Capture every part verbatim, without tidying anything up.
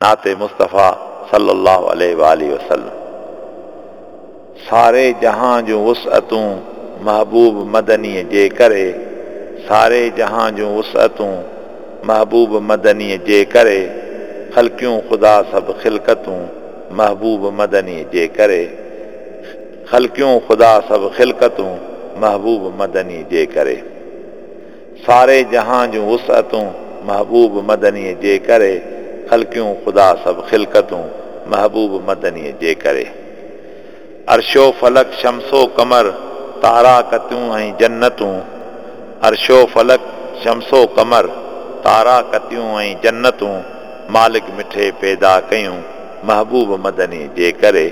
नाते मुस्तफ़ा सल्लल्लाहु अलैहि वालैहि वसल्लम। सारे जहां जूं वुसअतूं महबूब मदनीअ जे करे, सारे जहां जूं वुसअतूं महबूब मदनीअ जे करे, ख़लकियूं ख़ुदा सभु ख़िलकतूं महबूब मदनीअ जे करे, ख़लकियूं ख़ुदा सभु ख़िलकतूं महबूब मदनी जे करे। सारे जहां जूं वुसअतूं महबूब मदनीअ जे करे, ख़लकियूं ख़ुदा सभु ख़िलकतूं महबूब मदनीअ जे करे। अरशो फलक शमसो कमर तारा कतियूं ऐं जन्नतूं, अरशो फलक शमसो कमर तारा कतियूं ऐं जन्नतूं, मालिक मिठे पैदा कयूं महबूब मदनी जे करे,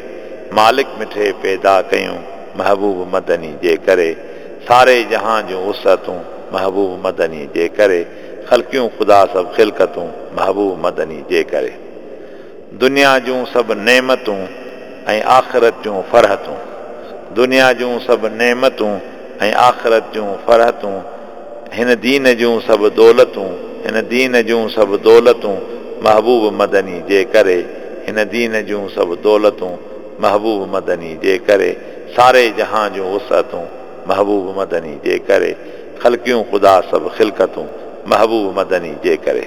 मालिक मिठे पैदा कयूं महबूब मदनी जे करे। सारे जहां जूं वुसअतूं महबूब मदनी जे करे, ख़लकियूं ख़ुदा सभु ख़िलकतूं महबूब मदनी जे करे। दुनिया जूं सभु नेमतूं ऐं आख़िरत जूं फरहतूं, दुनिया जूं सभु नेमतूं ऐं आख़िरत जूं फरहतूं, हिन दीन जूं सभु दौलतूं, हिन दीन जूं सभु दौलतूं महबूब मदनी जे करे, हिन दीन जूं सभु दौलतूं महबूब मदनी जे करे। सारे जहां जूं वुसअतूं महबूब मदनी जे करे, ख़लकियूं ख़ुदा सभु ख़िलकतूं महबूब मदनी जे करे।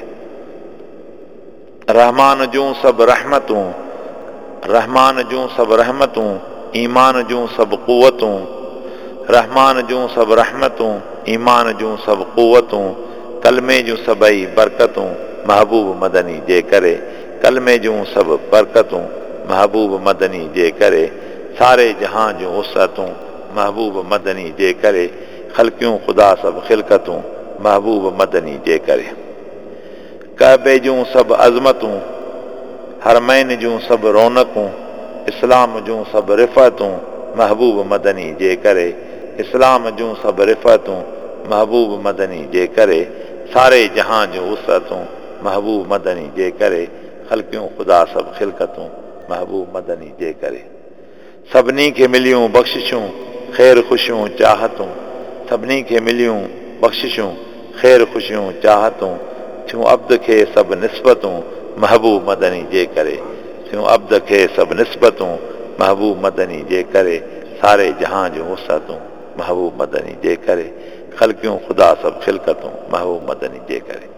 रहमान जूं सभु रहमतूं, रहमान जूं सभु रहमतूं, ईमान जूं सभु क़ुवतूं, रहमान जूं सभु रहमतूं, ईमान जूं सभु क़ुवतूं, कलमे जूं सभई बरकतूं महबूब मदनी जे करे, कलमे जूं सभु बरकतूं महबूब मदनी जे करे। सारे जहां जूं वुसअतूं महबूब मदनी जे करे, ख़लकियूं ख़ुदा सभु ख़िलकतूं महबूब मदनी जे करे। काबे जूं सभु अज़मतूं, हरमैन जूं सभु रौनकूं, इस्लाम जूं सभु रिफ़अतूं महबूब मदनी जे करे, इस्लाम जूं सभु रिफ़अतूं महबूब मदनी जे करे। सारे जहां जूं वुसअतूं महबूब मदनी जे करे, ख़लकियूं ख़ुदा सभु ख़िलकतूं महबूब मदनी जे करे। सभिनी खे मिलियूं बख़्शिशूं ख़ैर ख़ुशियूं चाहतूं, सभिनी खे मिलियूं बख़्शिशूं ख़ैर ख़ुशियूं चाहतूं, थियूं अब्द खे सभु निस्बतूं महबूब मदनी जे करे, थियूं अब्द खे सभु निस्बतूं महबूब मदनी जे करे। सारे जहां जूं वुसअतूं महबूब मदनी जे करे, ख़लकियूं ख़ुदा सभु ख़िलकतूं महबूब मदनी जे करे।